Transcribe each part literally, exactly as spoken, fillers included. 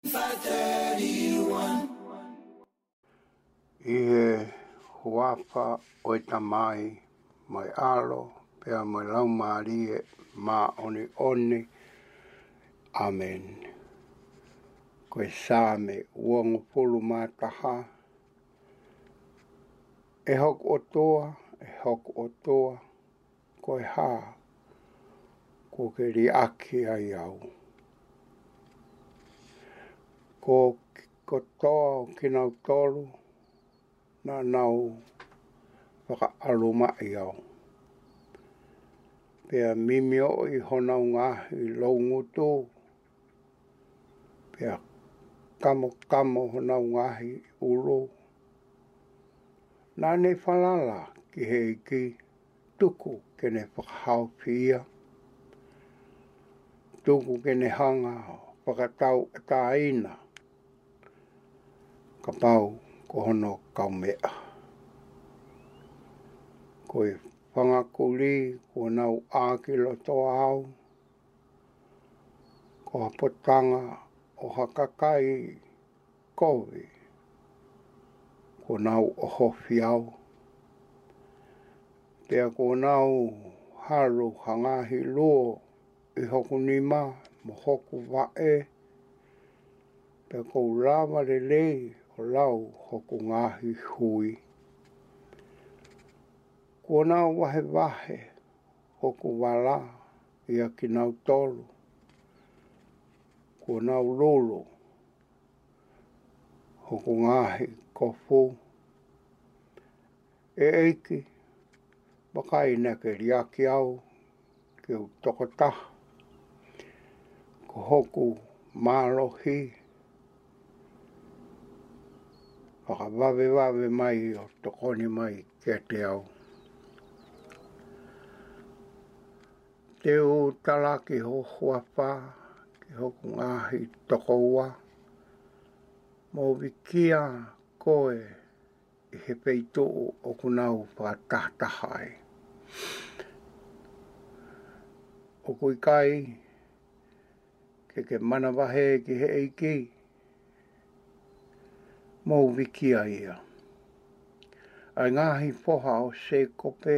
ʻI he huafa ʻo e Tamai, mo e ʻAlo, pea mo e Laumālie Māʻoniʻoni. ʻĀmeni. Ko e Saame uongofulu mā taha. ʻE hoku ʻOtua, ʻe hoku ʻOtua, ko e hā kuo ke liʻaki ai au? Ko e kotoa ʻo kinautolu naʻa nau fakaʻalumaʻi au, pea mimioʻi honau ngaahi loungutu, pea kamokamo honau ngaahi ʻulu. Naʻa ne falala ki he ʻEiki, tuku ke ne fakahaofi ia, tuku ke ne hanga ʻo fakatauʻatāina kapau ko hono kaumeʻa. Ko e fanga kulī kuo nau ʻā ki loto au, ko ha potanga ʻo ha kakai kovi kuo nau ʻohofi au. Pea kuo nau halu ha ngaahi luo ʻi hoku nima mo hoku vaʻe, pea ʻoku ou lava lelei ʻo lau hoku ngaahi hui. Kuo nau vahevahe hoku vala ʻia kinautolu, kuo nau lolo hoku ngaahi kofu. ʻE ʻEiki, vakai naʻa ke liʻaki au ke u tokotaha. Ko hoku mālohi, fakavavevave mai ʻo tokoni mai kiate au. Te u talaki ho huafa ki hoku ngaahi tokoua, mo vikia koe ʻi he feituʻu ʻoku nau fakatahataha ai. ʻOku ʻikai ke ke manavahē ki he ʻEiki, mou vikia ia. ʻA e ngaahi foha ʻo Sēkope,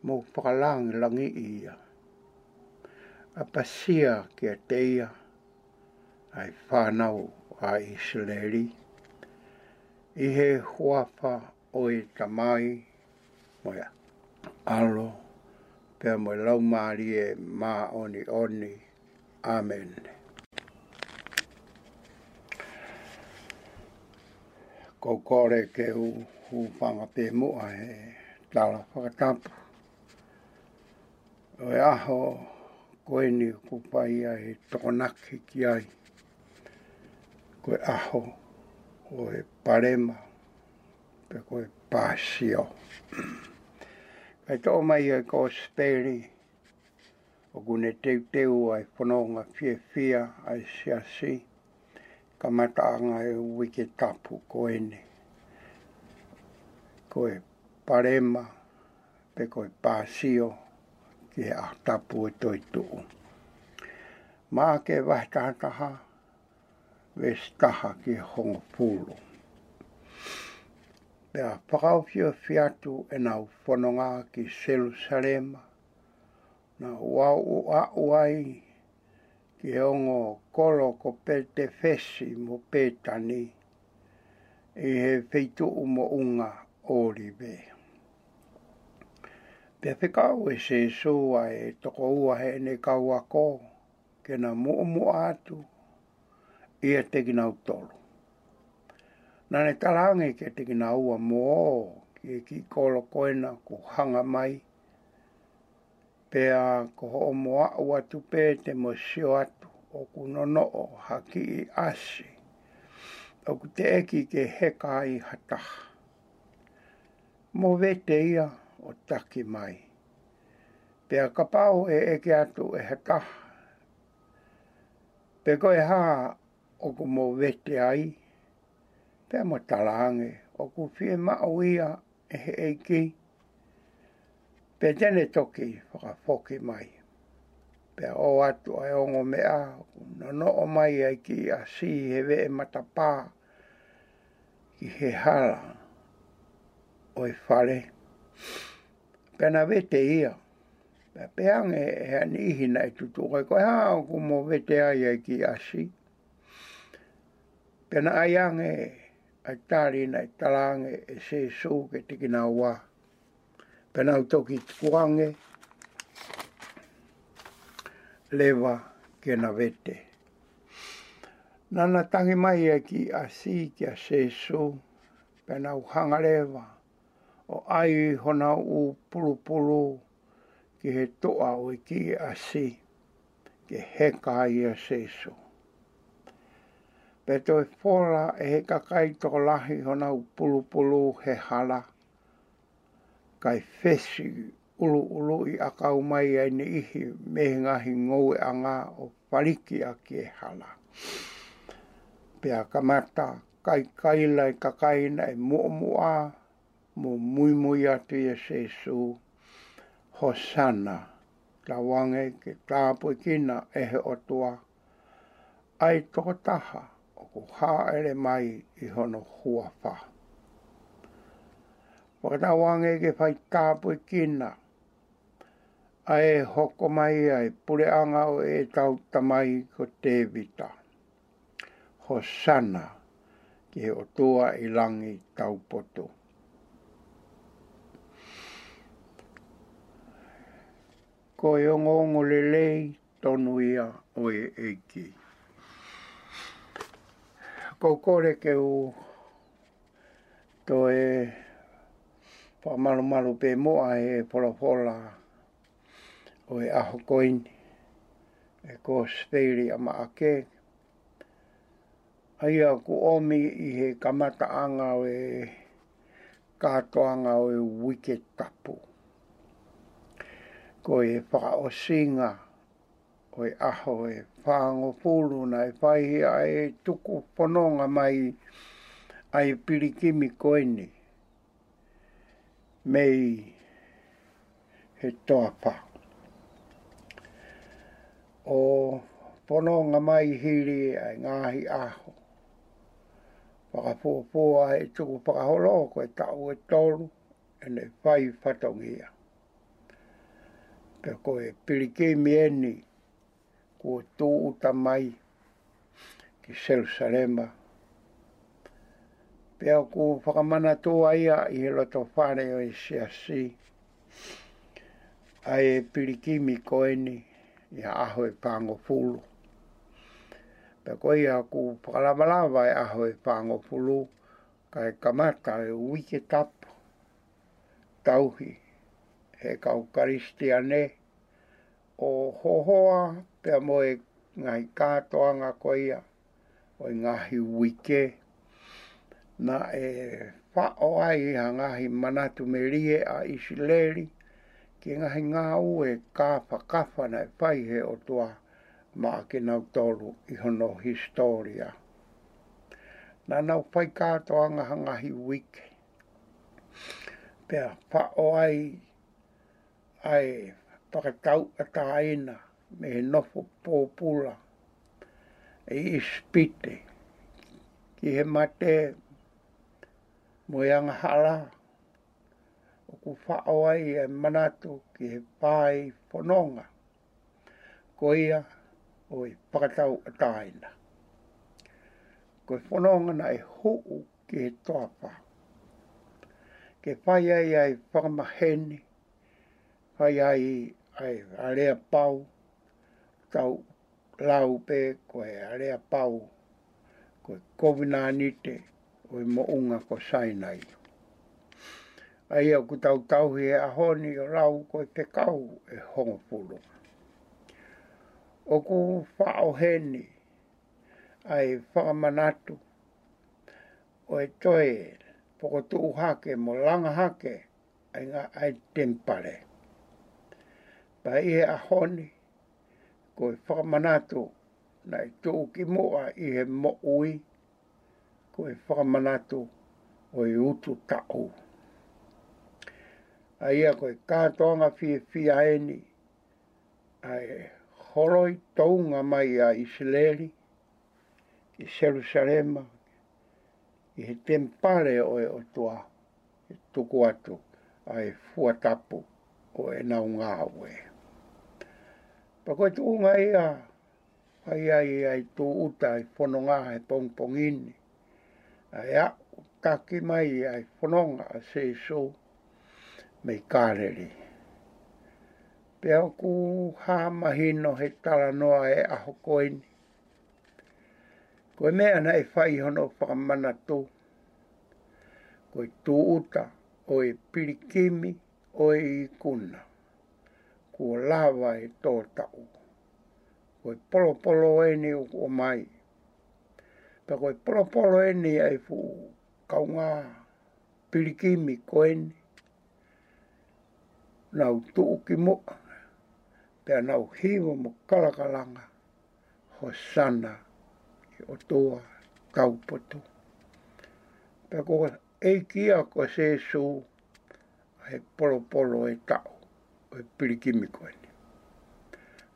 mou fakalangilangiʻi ia. ʻApasia kiate ia ʻa e fānau ʻa ʻIsileli, ʻi he huafa ʻo e Tamai, mo e ʻAlo, pea mo e Laumālie Māʻoniʻoni. ʻĀmeni. ʻOku ou kole ke u hūfanga pē muʻa he tala fakatapu ʻo e ʻaho ko eni ʻoku fai ai e Tokonaki ki ai. Ko e ʻaho ʻo e palema, pe ko e pāsio. Kae toʻo mai ʻa e Kosipeli, ʻoku ne teuteu ʻa e fononga fiefia ʻa e siasi, kamataʻanga ʻo e uike tapu ko eni. Ko e palema, pe ko e pāsio, ki he ʻaho tapu ʻo e toetuʻu. Maʻake vahe taha taha, veesi taha ki he hongofulu. Pea fakaofiofi atu ʻenau fononga ki Selusalema, naʻa nau aʻu ai ki he ongo kolo ko Petefesi mo Petani, ʻi he feituʻu moʻunga ʻŌlive. Pea fekau ʻe Sēsū ʻa e toko ua heʻene kau ako, ke na muʻomuʻa atu ʻiate kinautolu. Naʻa ne talaange kiate kinaua, mou ō ki he kiʻi kolo ko ena kuo hanga mai, pea ko hoʻomo aʻu atu pē te mo sio atu ʻoku nonoʻo ha kiʻi ʻasi ʻoku teʻeki ke heka ai ha taha. Mo vete ia ʻo taki mai. Pea kapau ʻe ʻeke atu ʻe ha taha, pe ko e hā ʻoku mo vete ai, pea mo talaange, ʻoku fiemaʻu ia ʻe he ʻEiki, pea te ne toki fakafoki mai. Pea ʻoatu ʻa e ongo meʻa, ʻoku nonoʻo mai ʻa e kiʻi ʻasi he veʻe matapā ki he hala ʻo e fale. Pea na vete ia. Pea pehē ange ʻe ha niʻihi naʻe tutuʻu ko ē, ko e hā ʻoku mo vete ai ʻa e kiʻi ʻasi? Pea na ʻai ange ʻa e tali naʻe talaange ʻe Sēsū kiate kinaua. Pea nau toki tukuange leva ke na vete. Naʻa na tangi mai ʻa e kiʻi ʻasi kia Sēsū, pea nau hanga leva ʻo ʻai honau ʻū pulupulu ki he toʻa ʻo e kiʻi ʻasi, ke heka ai ʻa Sēsū. Pea toe fola ʻe he kakai tokolahi honau pulupulu he hala, kae fesi ʻuluʻuluʻi ʻakau mai ʻa e niʻihi mei he ngaahi ngoueʻanga ʻo faliki ʻaki e hala. Pea kamata kaikaila e kakai naʻe muʻomuʻa mo muimui atu ʻia Sēsū, Hōsana, tauange ke tāpuekina ʻe he ʻOtua ʻa e tokotaha ʻoku hāʻele mai ʻi hono huafa. Fakatauange ke fai tāpuekina ʻa e hoko mai ʻa e puleʻanga ʻo ʻetau tamai ko Tēvita. Hōsana ki he ʻOtua ʻi langi taupotu. Ko e ongoongo lelei tonu ia ʻo e ʻEiki. ʻOku ou kole ke u toe fakamalumalu pē muʻa he folofola ʻo e ʻaho ko eni, ʻa e Kōsipeli ʻa Maʻake, ʻa ia ʻoku ʻomi ʻi he kamataʻanga ʻo e kātoanga ʻo e Uike Tapu. Ko e fakaʻosinga ʻo e ʻaho ʻe fāngofulu naʻe fai ai ʻa e tuku fononga mai ʻa e pilikimi ko eni mei he toafa, ʻo fononga mai hili ʻa e ngaahi ʻaho fakafuofua ʻa e tukufakaholo, ko e taʻu ʻe tolu ʻene fai fatongia. Pea ko e pilikimi eni kuo tūʻuta mai ki Selusalema. Pea ʻoku fakamanatua ia ʻi he loto fale ʻo e siasi ʻa e pilikimi ko eni ʻi he ʻaho ʻe fāngofulu. Pea ko ia ʻoku fakalavalava e ʻaho ʻe fāngofulu, kae kamata e Uike Tapu, tauhi he kau Kalisitiane ʻo hohoa pea mo e ngaahi kātoanga ko ia ʻo e ngaahi uike. Naʻe faʻo ai ha ngaahi manatu melie ʻa ʻIsileli ki he ngaahi ngāue kāfakafa naʻe fai he ʻOtua maʻa kinautolu ʻi hono hisitōlia. Naʻa nau fai kātoanga ha ngaahi uike, pea faʻo ai ʻa e fakatauʻatāina mei he nofo pōpula ʻi ʻIsipite ki he mate mo e angahala. ʻOku faʻo ai e manatu ki he fai fononga ko ia ʻo e fakatauʻatāina. Ko e fononga naʻe huʻu ki he toafa ke fai ai ʻa e fakamaheni, fai ai ʻa e aleapau, tau lau pē ko e aleapau, ko e kovinānite ʻo e moʻunga ko Sainai. ʻA ia ʻoku tau tauhi he ʻaho ni ʻo lau ko e fekau ʻe hongofulu. ʻOku faʻo heni ʻa e fakamanatu ʻo e toe fokotuʻu hake mo langa hake ʻa e ngā-, ʻa e temipale. Pea ʻi he ʻaho ni, ko e fakamanatu naʻe tuʻu ki muʻa ʻi he moʻui, ko e fakamanatu ʻo e utu taʻu. ʻA ia ko e kātoanga fiefia eni ʻa e Holoi tounga mai ʻa ʻIsileli ʻi Selusalema, ʻi he temipale ʻo e ʻOtua, ʻe tuku atu ʻa e fua tapu ʻo ʻenau ngāue. Pea ko e tuʻunga ia ʻa ia ʻa e tūʻuta ʻa e fononga he pongipongi ni, ʻa e aʻu taki mai ʻa e fononga ʻa Sēsū mei Kāleli. Pea ʻoku hā mahino he talanoa ʻa e ʻaho ko eni, ko e meʻa naʻe fai hono fakamanatu, ko e tūʻuta ʻo e pilikimi ʻo e ikuna, kuo lava ʻe tō taʻu. Ko e polopolo eni ʻoku ʻomai. Pea ko e polopolo eni ʻa e fuʻu kaungā pilikimi ko eni, nau tuʻu ki muʻa, pea nau hiva mo kalakalanga, Hosana ki he ʻOtua Taupotu. Pea ko e ʻEiki ia ko Sēsū ʻa e polopolo ʻo e taʻu ʻo e pilikimi ko eni.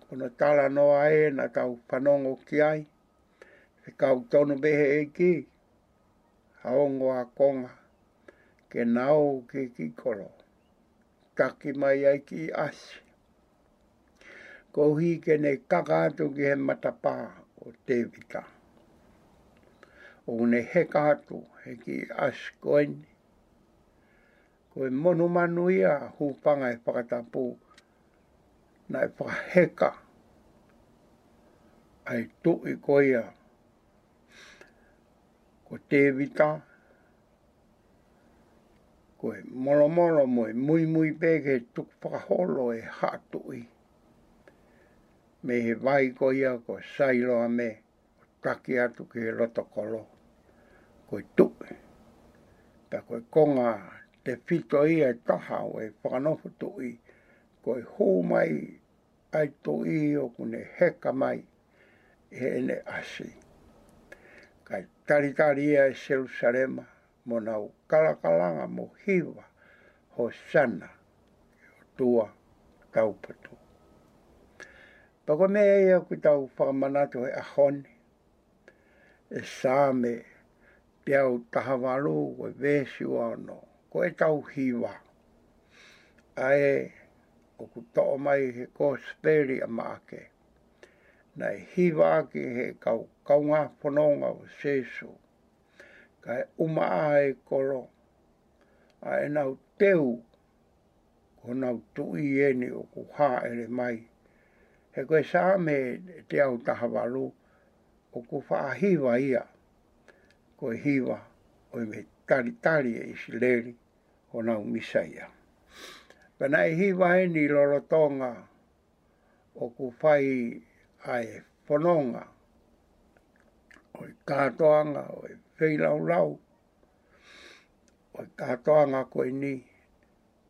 Ko hono talanoa ē naʻa tau fanongo ki ai, fekau tonu pē he ʻEiki ha ongo ākonga ke na ō ki he kiʻi kolo, taki mai ai e kiʻi ʻasi, koeʻuhi ke ne kaka atu ki he matapā ʻo Tēvita. ʻOku ne heka atu he kiʻi ʻasi ko eni, ko e monumanu ia, hūfanga he fakatapu, naʻe fakaheka ʻa e tuʻi ko ia ko Tēvita, ko e molomolo mo e muimui pē ki he tukufakaholo ʻo e haʻa tuʻi mei he vai ko ia ko Sailoame, ʻo taki atu ki he loto kolo, ko e tuʻi. Pea ko e konga tefito ia ʻe taha ʻo e fakanofo tuʻi, ko e hū mai ʻa e tuʻi ʻoku ne heka mai ʻi heʻene ʻasi, kae talitali ia ʻe Selusalema, mo nau kalakalanga mo hiva, Hosana ki he ʻOtua Taupotu. Pea ko e meʻa ia ʻoku tau fakamanatu he ʻaho ni, ʻe Saame teau taha valu, ko e veesi ua ono, ko ʻetau hiva ʻa ē ʻoku toʻo mai he Kosipeli ʻa Maʻake, naʻe hiva ʻaki he kau kaungā fononga ʻo Sēsū, kae ʻumaʻā e kolo, ʻa ʻenau teu ko honau tuʻi eni ʻoku hāʻele mai. He ko e Saame teau taha valu, ʻoku faʻa hiva ia ko e hiva ʻo e meʻa talitali ʻe ʻIsileli honau Mīsaia. Pea naʻe hiva eni lolotonga ʻoku fai ʻa e fononga ʻo e kātoanga ʻo e feilaulau ʻo e kātoanga ko eni,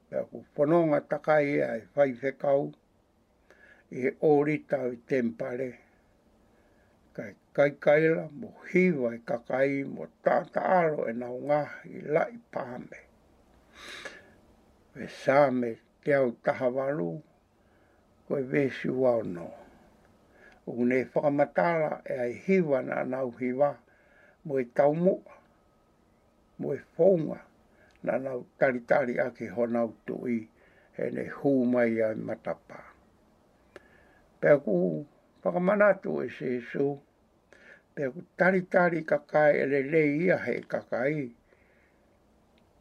pea ʻoku fononga takai ʻa e faifekau ʻi he ʻōlita ʻo e temipale, kae kaikaila mo hiva e kakai mo taʻataʻalo ʻenau ngaahi laʻi paame. Ko e Saame teau taha valu, ko e veesi ua ono, ʻoku ne fakamatala ʻa e hiva naʻa nau hiva, mo e taumuʻa mo e founga naʻa nau talitali ʻaki honau tuʻi heʻene hū mai ʻa e matapā. Pea ʻoku fakamanatu ʻe Sēsū, pea ʻoku talitali kakai ʻe lelei ia he kakai,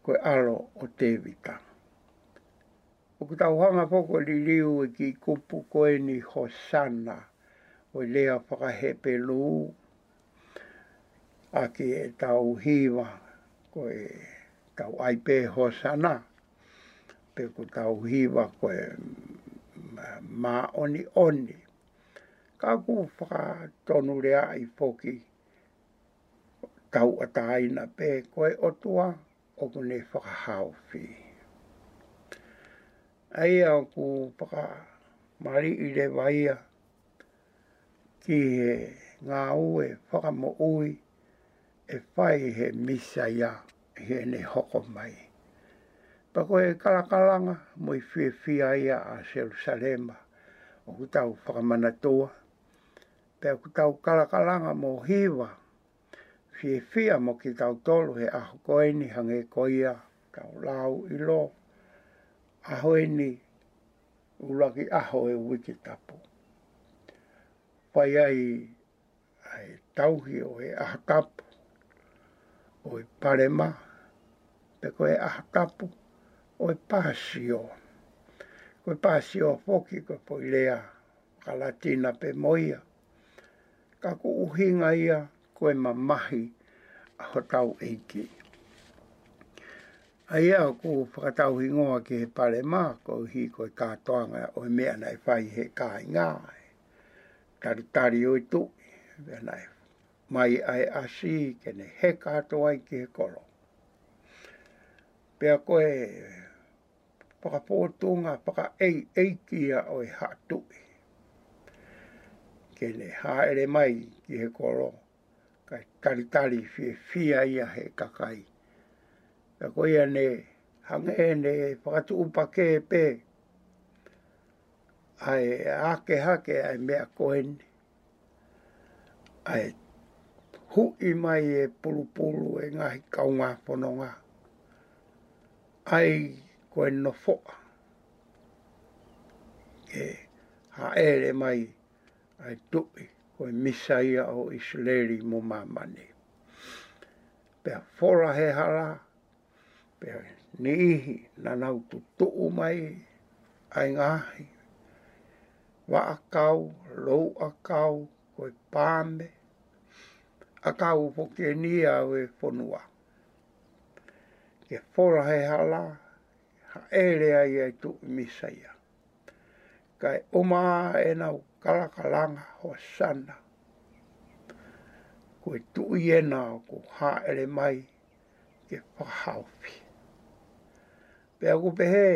ko e ʻAlo ʻo Tēvita. ʻOku tau hanga foki ʻo liliu e kiʻi kupu ko eni Hosana, ʻo e lea faka-Hepelū, ʻaki ʻetau hiva ko e tau ʻai pē Hosana, pe ko ʻetau hiva ko e mā-, māʻoniʻoni. Ka ʻoku fakatonuleaʻi foki, tauʻatāina pē ko e ʻOtua ʻoku ne fakahaofi. ʻA ia ʻoku fakamaliʻi leva ia ki he ngāue fakamoʻui ʻe fai he Mīsaia heʻene hoko mai. Pea ko e kalakalanga mo e fiefia ia ʻa Selusalema, ʻOku tau fakamanatua, pea ʻoku tau kalakalanga mo hiva fiefia mo kitautolu he ʻaho ko eni hangē ko ia tau lau ʻilo, ʻaho eni ʻuluaki ʻaho e uike tapu. Fai ai ʻa e tauhi ʻo e ʻaho tapu ʻo e Palema, pe ko e ʻaho tapu ʻo e Pāsio. Ko e Pāsio foki ko e foʻi lea faka-Latina pē mo ia. Ka ʻoku ʻuhinga ia ko e mamahi ʻa hotau ʻEiki. ʻA ia ʻoku fakatauhingoa ki he Palema, koeʻuhi ko e kātoanga ʻo e meʻa naʻe fai he kāinga, talitali ʻo e tuʻi, pea naʻe mai ʻa e ʻasi ke ne heka atu ai ki he kolo. Pea ko e fakafōtunga fakaʻeiʻeiki ia ʻo e haʻa tuʻi, ke ne hāʻele mai ki he kolo, kae talitali fiefia ia he kakai. Pea ko ia ne hangē ne fakatuʻupakē pē ʻa e ake hake ʻa e meʻa ko eni, ʻa e huʻi mai e pulupulu e ngaahi kaungā fononga, ʻa ia ko e nofoʻa, ke hāʻele mai ʻa e tuʻi ko e Mīsaia ʻo ʻIsileli mo māmani. Pea fola he hala, pea niʻihi naʻa nau tutuʻu mai ʻa e ngaahi vaʻakau, louʻakau, ko e paame, ʻakau foki eni ia ʻo e fonua. Ke fola he hala, hāʻele ai ʻa e tuʻi Mīsaia. Kae ʻumaʻā ʻenau kalakalanga Hosana. Ko e tuʻi ena ʻoku hāʻele mai ke fakahaofi. Pea ʻoku pehē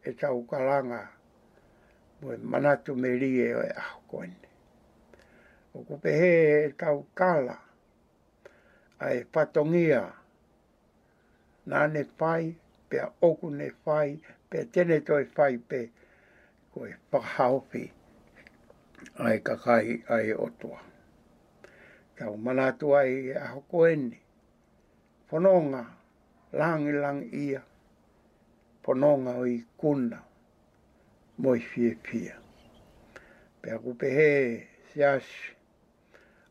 ʻetau kalanga mo e manatu melie ʻo e ʻaho ko eni. ʻOku pehē ʻetau tala ʻa e fatongia naʻa ne fai, pea ʻoku ne fai, pea te ne toe fai pē, ko e fakahaofi ʻa e kakai ʻa e ʻOtua. Tau manatu ai he ʻaho ko eni, fononga langilangiʻia, fononga ʻo e ikuna mo e fiefia. Pea ʻoku pehē Siasi,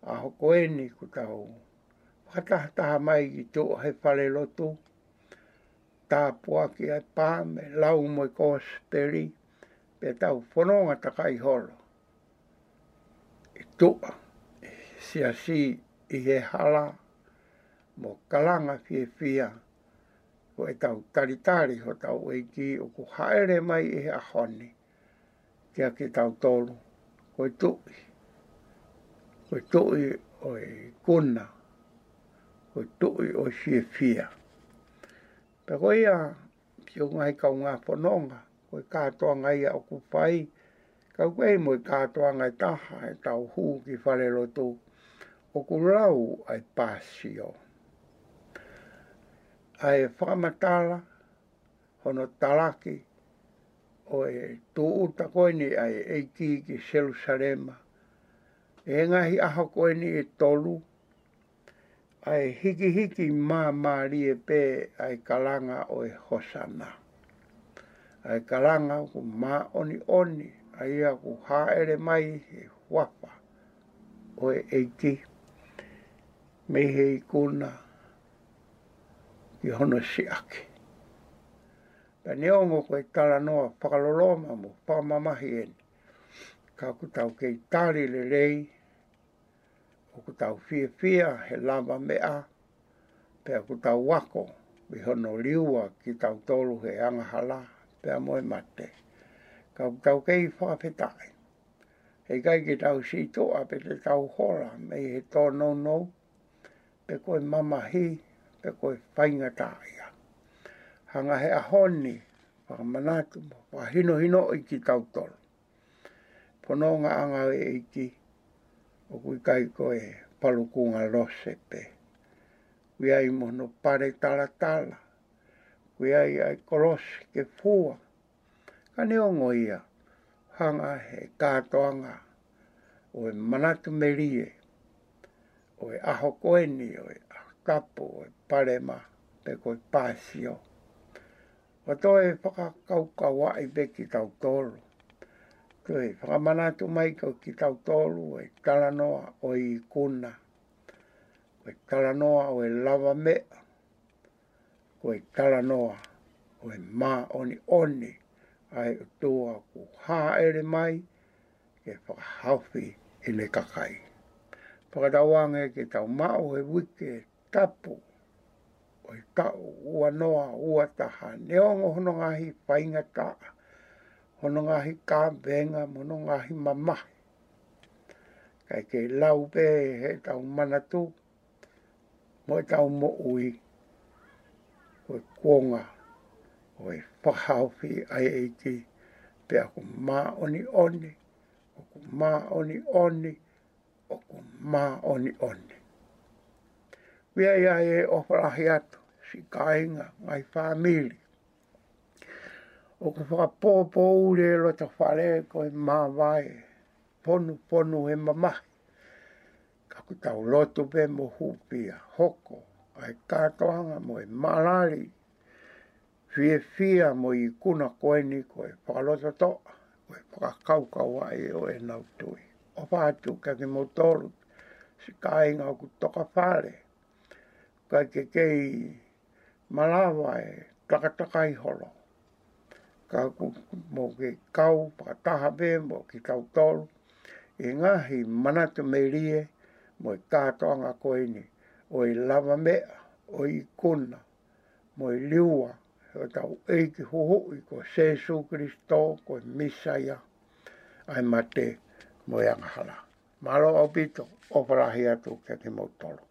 ʻaho ko eni kuo tau fakatahataha mai ki tuʻa he falelotu, tāpuaki ʻa e paame, lau mo e kosipeli, pea tau fononga takai holo ʻi tuʻa, ʻi he siasi, ʻi he hala, mo kalanga fiefia, ko ʻetau talitali hotau ʻEiki ʻoku hāʻele mai ʻi he ʻaho ni kiate kitautolu, ko e tuʻi, ko e tuʻi ʻo e ikuna, ko e tuʻi ʻo e fiefia. Pea ko ia, siʻi ngaahi kaungā fononga, ko e kātoanga ia ʻoku fai, ka ʻoku ʻi ai mo e kātoanga ʻe taha, ʻetau hū ki falelotu, ʻoku lau ʻa e Pāsio. ʻA e fakamatala, hono talaki ʻo e tūʻuta ko eni ʻa e ʻEiki ki Selusalema, ʻi he ngaahi ʻaho ko eni ʻe tolu, ʻa e hikihiki māmālie pē ʻa e kalanga ʻo e Hosana. ʻA e kalanga ʻoku māʻoniʻoni, ʻa ia ʻoku hāʻele mai he huafa ʻo e ʻEiki, mei he ikuna ki hono siʻaki. Pea neongo ko e talanoa fakaloloma mo fakamamahi eni, ka ʻoku tau kei tali lelei, ʻoku tau fiefia he lavameʻa, pea ʻoku tau ako ʻi hono liua kitautolu he angahala pea mo e mate. Ka ʻoku tau kei fakafetaʻi. Heʻikai ke tau sītuʻa pe te tau hola mei he tōnounou, pe ko e mamahi, pe ko e faingataʻaʻia. Hanga he ʻaho ni, fakamanatu mo fakahinohinoʻi kitautolu. Fonongaʻanga ʻo e ʻEiki, ʻoku ʻikai ko e palukunga lose pē. ʻOku ʻi ai mo hono pale talatala, ʻoku ʻi ai ʻa e kolosi ke fua. Ka neongo ia, hanga he kātoanga ʻo e manatu melie ʻo e ʻaho ko eni, ʻo e ʻaho tapu ʻo e Palema, pe ko e Pāsio, ʻo toe fakakaukauaʻi pē kitautolu, toe fakamanatu mai ko kitautolu e talanoa ʻo e ikuna, ko e talanoa ʻo e lavameʻa, ko e talanoa ʻo e māʻoniʻoni ʻa e ʻOtua kuo hāʻele mai ke fakahaofi ʻene kakai. Fakatauange ke tau maʻu he uike tapu ʻo e taʻu ua noa ua taha, neongo hono ngaahi faingataʻa, hono ngaahi kavenga, mo hono ngaahi mamahi, kae kei lau pē heʻetau manatu mo ʻetau moʻui ko e kuonga ʻo e fakahaofi ʻa e ʻEiki, pea ʻoku māʻoniʻoni, ʻoku māʻoniʻoni, ʻoku māʻoniʻoni. Pea ʻi ai e ʻofa lahi atu, siʻi kāinga, ngaahi fāmili, ʻoku fakapōpōʻuli e loto fale ko e māvae, ponuponu e mamahi. Ka ʻoku tau lotu pē mo hūfia, hoko ʻa e kātoanga mo e malali, fiefia mo e ikuna ko eni ko e fakalototoʻa, ko e fakakaukauaʻi ʻo ʻenau tui. ʻOfa atu kiate kimoutolu, siʻi kāinga ʻoku tokafale, kae kei malava e takatakai holo, ka ʻoku mou kei kau fakataha pē mo kitautolu ʻi he ngaahi manatu melie mo e kātoanga ko eni ʻo e lavameʻa, ʻo e ikuna, mo e liua ʻo hotau ʻEiki Huhuʻi ko Sēsū Kilisitō ko e Mīsaia, ʻa e mate mo e angahala. Mālō ʻaupito, ʻofa lahi atu kiate kimoutolu.